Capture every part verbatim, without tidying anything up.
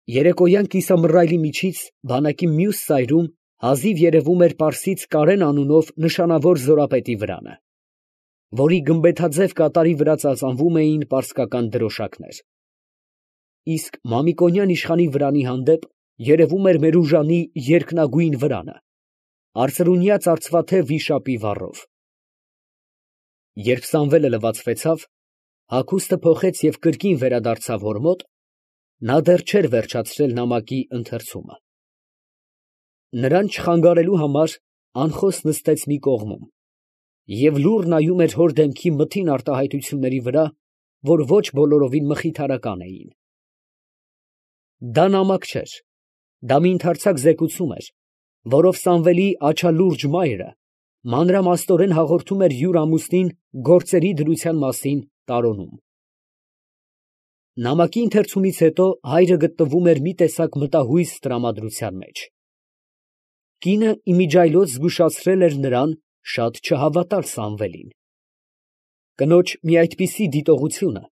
Երեկոյան կիսամռայլի միջից բանակի մյուս սայրում հազիվ երևում էր պարսից Կարեն անունով նշանավոր զորապետի վրանը, որի գմբեթաձև կատարի վրա ծածանվում էին պարսկական դրոշակներ, իսկ Մամիկոնյան իշխանի վրանի հանդեպ երևում էր Մերուժանի երկնագույն վրանը, արծրունյա ծարծվաթև վիշապի վառով։ Երբ Սամվելը լվացվեցավ, հագուստը փոխեց և կրկին վերադարձավ հոր մոտ, նա դեռ չէր վերջացրել նամակի ընթերցումը. նրան չխանգարելու համար անխոս նստեց մի կողմում և լուռ նայում էր հոր դեմքի մթին արտահայտությունների վրա, որ ոչ բոլորովին մխիթարական էին։ Դա նամակ չէր, դա մի ընդարձակ զեկուցում էր, որով Սամվելի աչալուրջ մայրը մանրամասնորեն հաղորդում էր յուր ամուսնին գործերի դրության մասին տարոնում։ Նամակի ընթերցումից հետո հայրը գտնվում էր մի տեսակ մտահույս տրամադրության մեջ։ Կինը իմիջիայլոց զգուշացրել էր նրան շատ չհավատալ Սամվելին։ Կնոջ մի այդպիսի դիտողությունը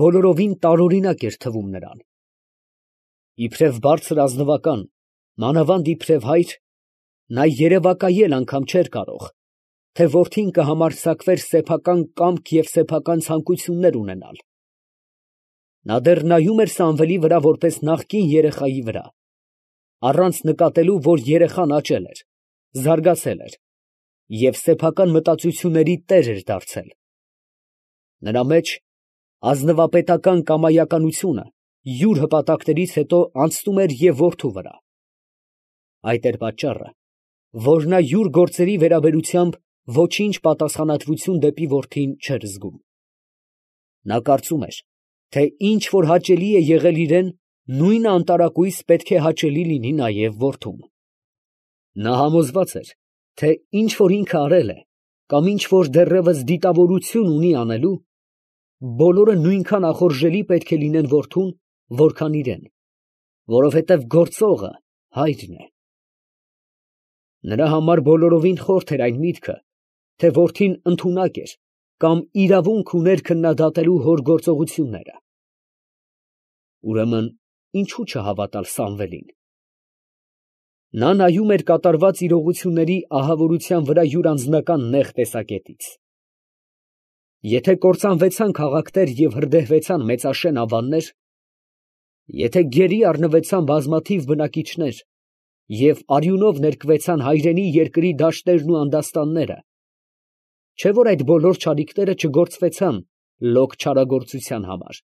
բոլորովին տարօրինակ էր թվում նրան։ Իբրև բարձր ազնվական, մանավանդ իբրև հայր, նա երևակայել անգամ չէր կարող, թե որդին կհամարձակվեր սեփական կամք և սեփական ցանկություններ ունենալ։ Նա դեռ նայում էր Սամվելի վրա որպես նախկին երեխայի վրա, առանց նկատելու, որ երեխան աճել էր, զարգացել էր և սեփական մտածությունների տեր էր դարձել։ Նրա մեջ ազնվապետական կամայականությունը յուր հպատակներից հետո անցնում էր և որդու վրա։ Այդ էր պատճառը, որ նա յուր գործերի վերաբերությամբ ոչինչ պատասխանատվություն դեպի որդին չէր զգում։ Նա կարծում էր, թե ինչ որ հաճելի է եղել իրան, նույնը անտարակույս պետք է հաճելի լինի նաև որդուն։ Նա համոզված էր, թե ինչ որ ինքը արել է, կամ ինչ որ դեռևս դիտավորություն ունի անելու, բոլորը նույնքան ախորժելի պետք է լինեն որդուն, որքան իրան, որովհետև գործողը հայրն է։ Նրա համար բոլորովին խորթ էր այն միտքը, թե որդին ընդունակ էր կամ իրավունք ուներ քննադատելու հոր գործողությունները։ Ուրեմն ինչո՞ւ չհավատալ Սամվելին։ Նա նայում էր կատարված իրողությունների ահավորության վրա յուր անձնական նեղ տեսակետից։ Եթե կործանվեցան քաղաքներ և հրդեհվեցան մեծաշեն ավաններ, եթե գերի առնվեցան բազմաթիվ բնակիչներ և արյունով ներկվեցան հայրենի երկրի դաշտերն ու անդաստանները, չէ՞ որ այդ բոլոր չարիքները չգործվեցան լոկ չարագործության համար,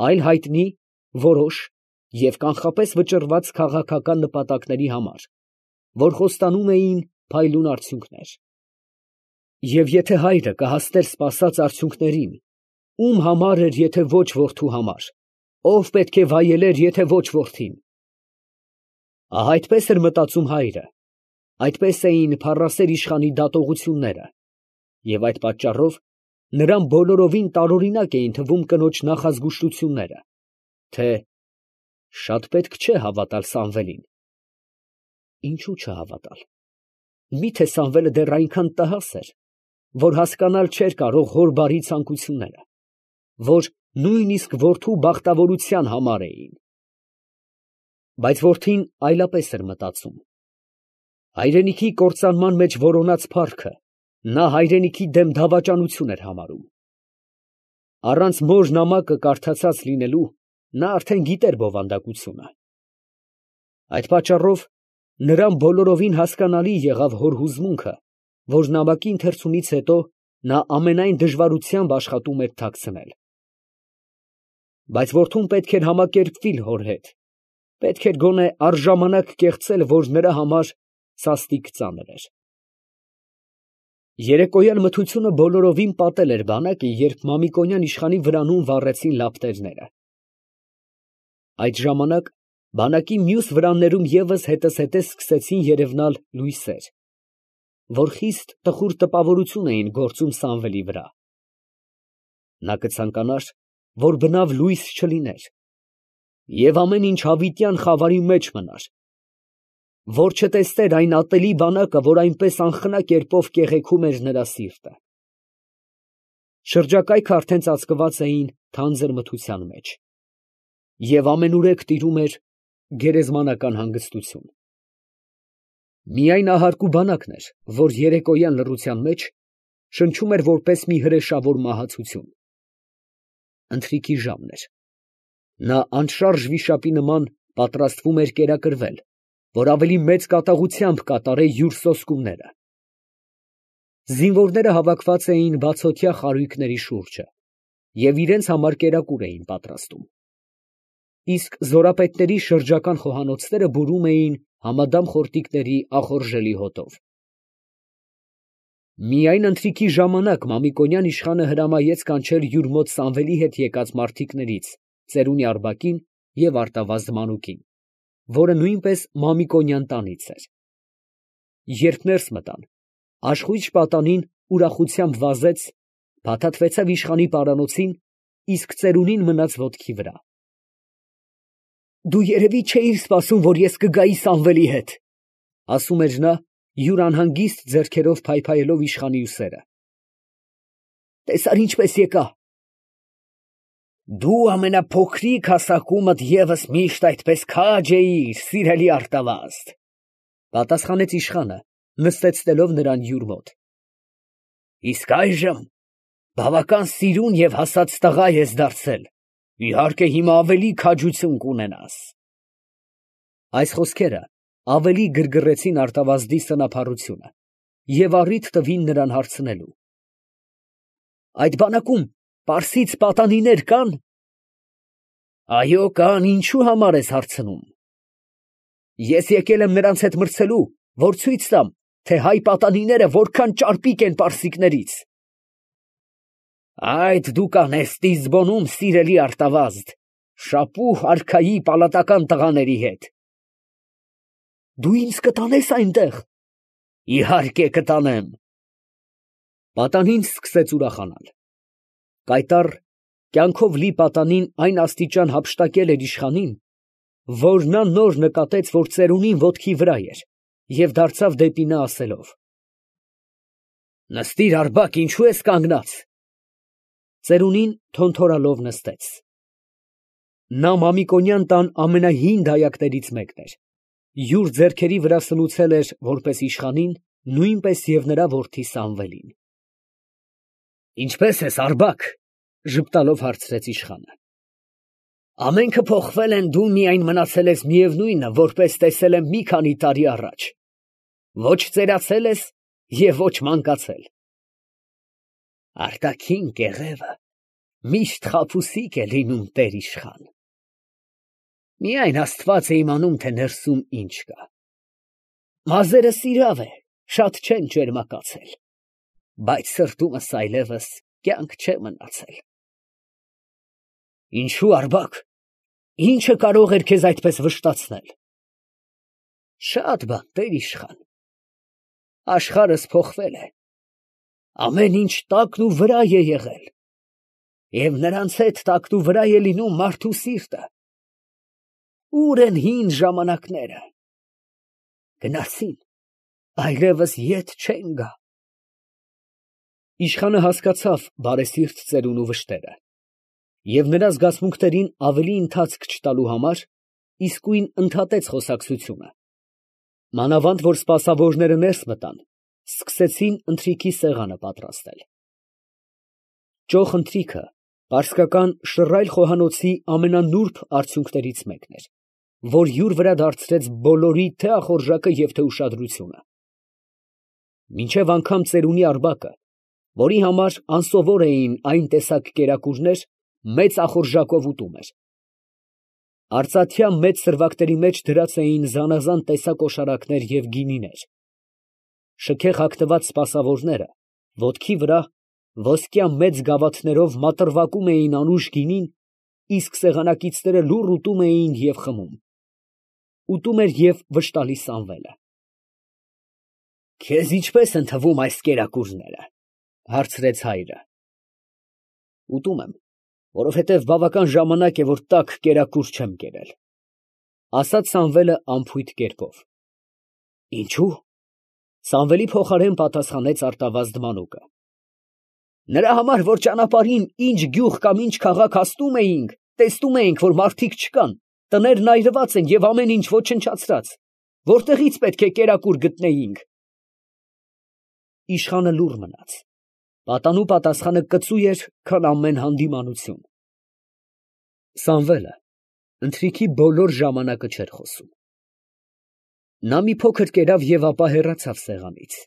այլ հայտնի, որոշ և կանխապես վճռված քաղաքական նպատակների համար, որ խոստանում էին փայլուն արդյունքներ։ Եվ եթե հայրը կհասներ սպասած արդյունքներին, ո՞ւմ համար էր, եթե ոչ որդու համար, ո՞վ պետք է վայելեր, եթե ոչ որդին։ Ահա այդպես էր մտածում հայրը, այդպես էին փառասեր իշխանի դատողությունները, և այդ պատճառով նրան բոլորովին տարօրինակ էին թվում կնոջ նախազգուշտությունները, թե շատ պետք չէ հավատալ Սամվելին։ Ինչո՞ւ չհավատալ։ Մի՞թե Սամվելը դեռ այնքան տհաս էր, որ հասկանալ չէր կարող հոր բարի ցանկությունները, որ նույնիսկ որդու բախտավորության համար էին։ Բայց որդին այլապես էր մտածում։ Հայրենիքի կործանման մեջ որոնած փառքը նա հայրենիքի դեմ դավաճանություն էր համարում։ Առանց մոր նամակը կարդացած լինելու, նա արդեն գիտեր բովանդակությունը։ Այդ պատճառով նրան բոլորովին հասկանալի եղավ հոր հուզմունքը, որ նամակի ընթերցումից հետո նա ամենայն դժվարությամբ աշխատում էր թաքցնել։ Բայց որդուն պետք էր համակերպվիլ հոր հետ, պետք էր գոնե առժամանակ կեղծել, որ նրա համար սաստիկ ծանր էր։ Երեկոյան մթությունը բոլորովին պատել էր բանակը, երբ Մամիկոնյան իշխանի վրանում վառեցին լապտերները։ Այդ ժամանակ բանակի մյուս վրաններում ևս հետզհետե սկսեցին երևնալ լույսեր, որ խիստ տխուր տպավորություն էին գործում Սամվելի վրա։ Նա կցանկանար, որ բնավ լույս չլիներ, և ամեն ինչ հավիտյան խավարի մեջ մնար, որ չտեսներ այն ատելի բանակը, որ այնպես անխնա կերպով կեղեքում էր նրա սիրտը։ Շրջակայքը արդեն ծածկված էին թանձր մթության մեջ։ և ամենուրեք տիրում էր գերեզմանական հանգստություն։ Միայն ահարկու բանակն էր, որ երեկոյան լռության մեջ շնչում էր որպես մի հրեշավոր մահացություն։ Ընթրիքի ժամն էր. նա անշարժ վիշապի նման պատրաստվում էր կերակրվել, որ ավելի մեծ կատաղությամբ կատարե յուր սոսկումները։ Զինվորները հավաքված էին բացօթյա խարույկների շուրջը և իրենց համար կերակուր էին պատրաստում, իսկ զորապետների շրջական խոհանոցները բուրում էին համադամ խորտիկների ախորժելի հոտով։ Միայն ընթրիքի ժամանակ Մամիկոնյան իշխանը հրամայեց կանչել յուր մոտ Սամվելի հետ եկած մարդիկներից ծերունի Արբակին և Արտավազդ մանուկին, որը նույնպես Մամիկոնյան տանից էր։ Երբ ներս մտան, աշխույժ պատանին ուրախությամբ վազեց, փաթաթվեցավ իշխանի պարանոցին, իսկ ծերունին մնաց ոտքի վրա։ «Դու երևի չէիր սպասում, որ ես կգայի Սամվելի հետ», ֊ ասում էր նա, յուր անհանգիստ ձեռքերով փայփայելով իշխանի ուսերը։ «Տեսա՞ր ինչպես եկա»։ «Դու ամենափոքրիկ հասակումդ ևս միշտ այդպես քաջ էիր, սիրելի Արտավազդ», ֊ պատասխանեց իշխանը, նստեցնելով նրան յուր մոտ։ «Իսկ այժմ բավական սիրուն և հասած տղա ես դարձել, իհարկե հիմա ավելի քաջություն կունենաս»։ Այս խոսքերը ավելի գրգռեցին Արտավազդի սնափառությունը և առիթ տվին նրան հարցնելու. «Այդ բանակում պարսից պատանիներ կա՞ն»։ «Այո, կան, ինչու համար ես հարցնում»։ «Ես եկել եմ նրանց հետ մրցելու, որ ցույց տամ, թե հայ պատանիները որքան ճարպիկ են պարսիկներից»։ «Այդ դու կանես Տիզբոնում, սիրելի Արտավազդ, Շապուհ արքայի պալատական տղաների հետ»։ «Դու ինձ կտանե՞ս այնտեղ»։ «Իհարկե կտանեմ»։ Պատանին սկսեց ուրախանալ։ Կայտառ, կյանքով լի պատանին այն աստիճան հափշտակել էր իշխանին, որ նա նոր նկատեց, որ ծերունին ոտքի վրա էր, և դարձավ դեպի նա ասելով. «Նստիր, Արբակ, ինչու ես կանգնած»։ Ծերունին թոնթորալով նստեց։ Նա Մամիկոնյան տան ամենահին դայակներից մեկն էր, յուր ձեռքերի վրա սնուցել էր որպես իշխանին, նույնպես և նրա որդի Սամվելին։ «Ինչպե՞ս ես, Արբակ», ֊ ժպտալով հարցրեց իշխանը։ «Ամենքը փոխվել են, դու միայն մնացել ես միևնույնը, որպես տեսել եմ մի քանի տարի առաջ. ոչ ծերացել ես և ոչ մանկացել»։ «Արտաքին կեղևը միշտ խաբուսիկ է լինում, տեր իշխան. միայն Աստված է իմանում, թե ներսում ինչ կա։ Մազերս իրավ է, շատ չեն ճերմակացել, բայց սրտումս այլևս կյանք չէ մնացել»։ «Ինչո՞ւ, Արբակ, ի՞նչը կարող էր քեզ այդպես վշտացնել»։ «Շատ բան, տեր իշխան։ Աշխարհս փոխվել է, ամեն ինչ տակն ու վրա է եղել, և նրանց հետ տակն ու վրա է լինում մարդու սիրտը։ Ո՞ւր են հին ժամանակները։ Գնացին, այլևս ետ չեն գա»։ Իշխանը հասկացավ բարեսիրտ ծերունու վշտերը և նրա զգացմունքներին ավելի ընթացք չտալու համար իսկույն ընդհատեց խոսակցությունը, մանավանդ որ սպասավորները ներս մտան, սկսեցին ընթրիքի սեղանը պատրաստել։ Ճոխ ընթրիքը պարսկական շռայլ խոհանոցի ամենանուրբ արդյունքներից մեկն էր, որ յուր վրա դարձրեց բոլորի թե՛ ախորժակը և թե՛ ուշադրությունը։ Մինչև անգամ ծերունի Արբակը, որի համար անսովոր էին այն տեսակ կերակուրներ, մեծ ախորժակով ուտում էր։ Արծաթյա մեծ սրվակների մեջ դրած էին զանազան տեսակ օշարակներ և գինիներ։ Շքեղ հագնված սպասավորները ոտքի վրա ոսկյա մեծ գավաթներով մատրվակում էին անուշ գինին, իսկ սեղանակիցները լուռ ուտում էին և խմում։ Ուտում էր և վշտալի Սամվելը։ «Քեզ ինչպե՞ս են թվում այս կերակուրները», ֊ հարցրեց հայրը։ «Ուտում եմ, որովհետև բավական ժամանակ է, որ տաք կերակուր չեմ կերել», ֊ ասաց Սամվելը անփույթ կերպով։ «Ինչո՞ւ», ֊ Սամվելի փոխարեն պատասխանեց Արտավազդ մանուկը։ «Նրա համար, որ ճանապարհին ինչ գյուղ կամ ինչ քաղաք հասնում էինք, Տեսնում էինք, որ մարդիկ չկան, տներն այրված են և ամեն ինչ ոչնչացրած, որտեղից պետք է կերակուր գտնեինք։ Իշխանը լուռ մնաց, պատանու պատասխանը կծու էր, քան ամեն հանդիմանություն։ Սամվելը ընթրիքի բոլոր ժամանակը չէր խոսում։ Նա մի փոքր կերավ և ապա հեռացավ սեղանից։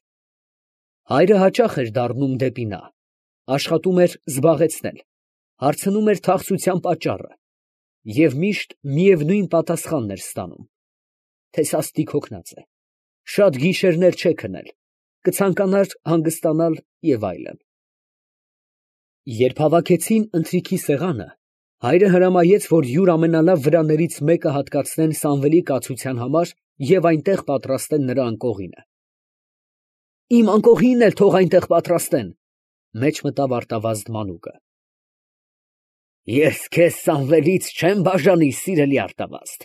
Հայրը հաճախ էր դառնում դեպի նա, աշխատում էր զբաղեցնել, հարցնում էր թախծության պատճառը և միշտ միևնույն պատասխանն էր ստանում, թե սաստիկ հոգնած է, շատ գիշերներ չէ քնել, կցանկանար հանգստանալ և այլն։ Երբ հավաքեցին ընթրիքի սեղանը, հայրը հրամայեց, որ յուր ամենալավ վրաներից մեկը հատկացնեն Սամվելի կացության համար և այնտեղ պատրաստեն նրա անկողինը։ Իմ անկողինն էլ թող այնտեղ պատրաստեն, մեջ մտավ արտավազդ մանուկը։ Ես քեզ Սամվելից չեմ բաժանի, սիրելի արտավազդ,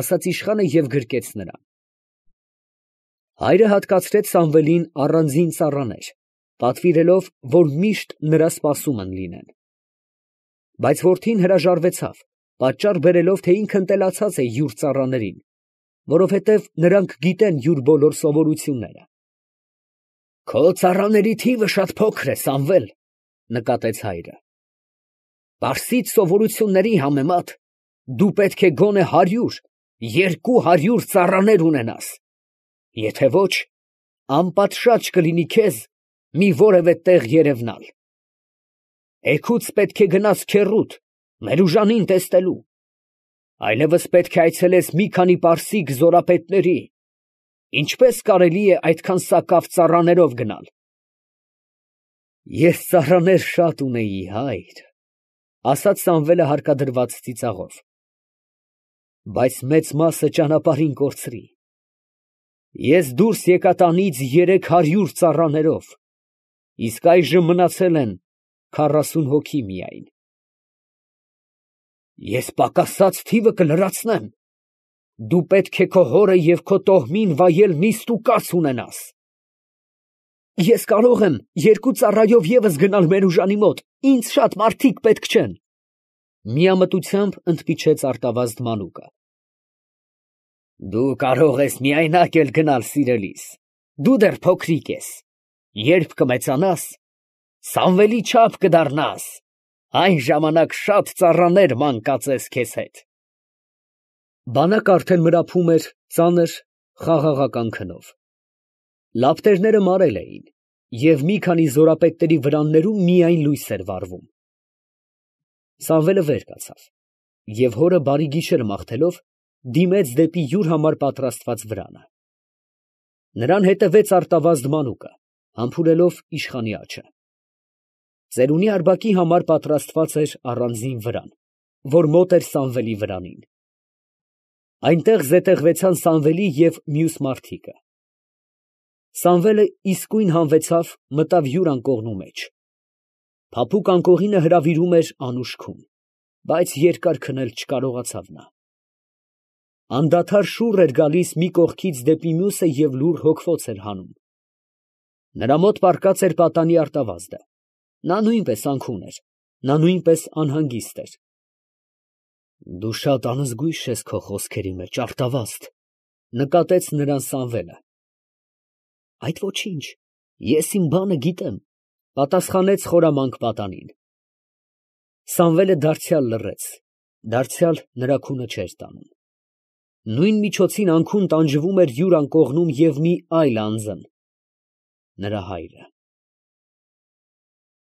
ասաց իշխանը և գրկեց նրան։ Հայրը հատկացրեց Սամվելին առանձին ծառաներ, պատվիրելով, որ միշտ նրա սպասումն լինեն։ Բայց որդին հրաժարվեցավ, պատճառ բերելով, թե ինքը ընտելացած է յուր ծառաներին, որովհետև նրանք գիտեն յուր բոլոր սովորությունները։ Քո ծառաների թիվը շատ փոքր է, Սամվել, նկատեց հայրը։ Պարսից սովորությունների համեմատ դու պետք է գոնե հարյուր, երկու հարյուր ծառաներ ունենաս, եթե ոչ, անպատշաճ կլինի քեզ մի որևէ տեղ երևնալ։ Էգուց պետք է գնաս քեռուդ, Մերուժանին տեսնելու, այլևս պետք է այցելես մի քանի պարսիկ զորապետների, ինչպես կարելի է այդքան սակավ ծառաներով գնալ։ Ես ծառաներ շատ ունեի, հայր, ասաց Սամվելը հարկադրված ծիծաղով, բայց մեծ մասը ճանապարհին կորցրի։ Ես դուրս եկա տանից երեք հարյուր ծառաներով, իսկ այժմ մնացել են քառասուն հոգի միայն։ Ես պակասած թիվը կլրացնեմ, դու պետք է քո հորը և քո տոհմին վայել նիստ ու կաց ունենաս։ Ես կարող եմ երկու ծառայով ևս գնալ Մերուժանի մոտ, ինձ շատ մարդիկ պետք չեն, միամտությամբ ընդմիջեց արտավազդ մանուկը։ Դու կարող ես միայնակ էլ գնալ, սիրելիս, դու դեռ փոքրիկ ես, երբ կմեծանաս, Սամվելի չափ կդառնաս, այն ժամանակ շատ ծառաներ ման կածես քեզ հետ։ Բանակը արդեն մրափում էր ծանր խաղաղական քնով։ Լապտերները մարել էին, և մի քանի զորապետների վրաններում միայն լույս էր վառվում։ Սամվելը վեր կացավ և հորը բարի գիշեր մաղթելով, դիմեց դեպի յուր համար պատրաստված վրանը։ Նրան հետևեց արտավազդ մանուկը, համբուրելով իշխանի աջը։ Ծերունի Արբակի համար պատրաստված էր առանձին վրան, որ մոտ էր Սամվելի վրանին։ Այնտեղ զետեղվեցան Սամվելի և մյուս մարդիկը։ Սամվելը իսկույն հանվեցավ, մտավ յուր անկողնու մեջ։ Փափուկ անկողինը հրավիրում էր անուշ քուն, բայց երկար քնել չկարողացավ նա։ Անդադար շուռ էր գալիս մի կողքից դեպի մյուսը և լուռ հոգվոց էր հանում։ Նրա մոտ պառկած էր պատանի արտավազդը, նա նույնպես անքուն էր, նա նույնպես անհանգիստ էր։ Դու շատ անզգույշ ես քո խոսքերի մեջ, արտավազդ, նկատեց նրան Սամվելը։ Այդ ոչինչ, ես իմ բանը գիտեմ, պատասխանեց խորամանկ պատանին։ Սամվելը դարձյալ լռեց, դարձյալ նրա քունը չէր տանում։ Նույն միջոցին անքուն տանջվում էր յուր անկողնում և մի այլ անձն, նրա հայրը։